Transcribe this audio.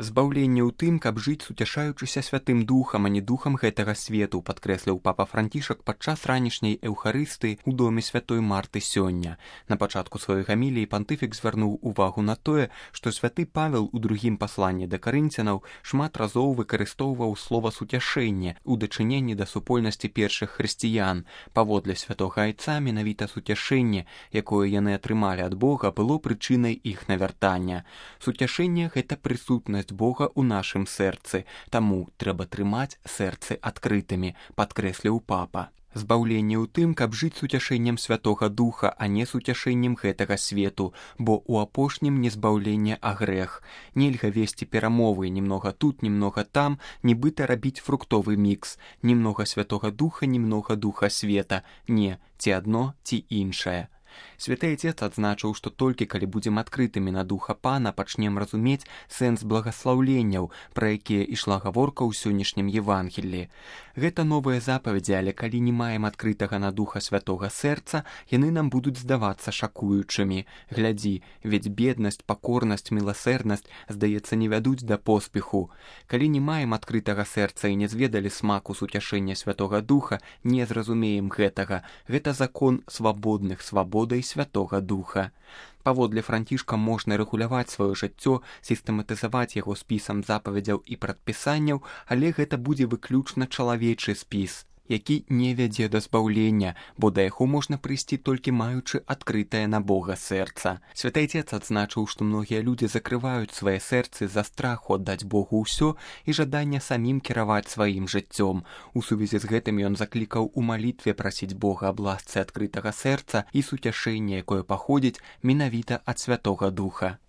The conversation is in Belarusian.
Збаўленне ў тым, каб жыць суцяшаючыся святым духам, а не духам гэтага свету, падкрэсліў папа Францішак падчас ранішняй эўхарыстыі ў доме святой Марты сёння. На пачатку сваёй гаміліі пантыфік звярнуў увагу на тое, што святы Павел у другім пасланні да карынцянаў шмат разоў выкарыстоўваў слова суцяшэнне ў дачыненні да супольнасці першых хрысціян. Паводле святога айца менавіта суцяшэнне, якое яны атрымалі ад Бога, было прычынай іх навяртання. Суцяшэнне — гэта прысутнасць Бога ў нашым сэрцы, таму трэба трымаць сэрцы адкрытымі, падкрэсліў папа. Збаўленне ў тым, каб жыць суцяшэннем святога духа, а не суцяшэннем гэтага свету, бо ў апошнім не збаўленне, а грэх. Нельга весці перамовы, немнога тут, немнога там, нібыта рабіць фруктовы мікс. Немнога святога духа, немнога духа света. Не, ці адно, ці іншае. Святы Отец адзначыў, што толькі калі будзем адкрытымі на духа Пана, пачнем разумець сэнс благаслаўленняў, пра якія ішла гаворка ў сённяшнім Евангеллі. Гэта новыя запаведзі, але калі не маем адкрытага на духа святога сэрца, яны нам будуць здавацца шакуючымі. Глядзі, ведь беднасць, пакорнасць, міласэрнасць, здаецца, не вядуць да поспеху. Калі не маем адкрытага сэрца і не зведалі смаку суцяшэння святога духа, не зразумеем гэтага. Гэта закон свабодных, свабодай святога духа. Паводле Францішка можна рэгуляваць сваё жыццё, сістэматызаваць яго спісам запаведзяў і прадпісанняў, але гэта будзе выключна чалавечы спіс, які не вядзе да збаўлення, бо да яго можна прыйсці толькі маючы адкрытае на Бога сэрца. Святы Отец адзначыў, што многія людзі закрываюць свае сэрцы з-за страху аддаць Богу ўсё і жадання самім кіраваць сваім жыццём. У сувязі з гэтым ён заклікаў у малітве прасіць Бога аб ласцы адкрытага сэрца і суцяшэння, якое паходзіць менавіта ад святога духа.